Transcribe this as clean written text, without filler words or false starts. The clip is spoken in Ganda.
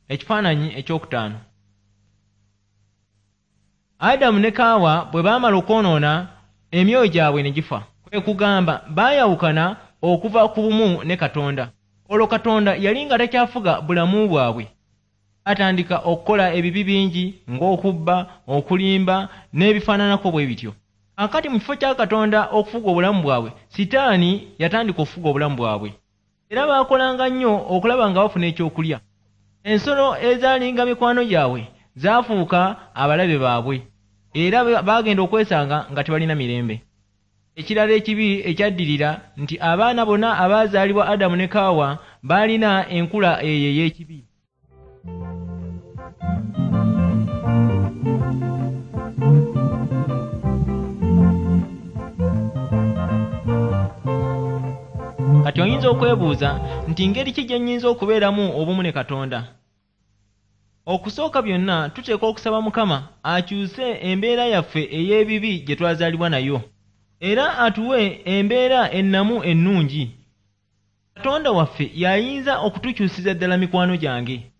Ekifaananyi ekyokutaano. Adamu ne Kaawa bwe baamala okwonoona, emyoyo gyabwe ne gifa. Kwe kugamba baayawukana okuva ku bumu ne Katonda. Olwo Katonda yali nga takyafuga bulamu bwabwe. Baatandika okukola ebibi bingi ng'okubba, okulimba n'ebifaananako bwe bityo. Kaakati mu kifo kya Katonda okufuga obulamu bwabwe, Sitaani yatandika okufuga obulamu bwabwe. Era baakolanga nnyo okulaba nga bafuna ekyokulya. Ensolo ezaalinga mikwano gyabwe zaafuuka abalabe baabwe era baagenda okwesanga nga tebalina mirembe. Ekirala ekibi ekyaddirira nti abaana bonna abaazaalibwa Adamu ne Kaawa baalina enkula eyo ey'ekibi. Kati oyinza okwebuuza nti ngeri ki gye nnyinza okubeeramu obumu ne Katonda? Okusooka byonna tuteekwa okusaba Mukama akyuse embeera yaffe ey'ebibi gye twazaalibwa nayo era atuwe embeera ennamu ennungi. Katonda waffe y'ayinza okutukyusiza ddala mikwano gyange.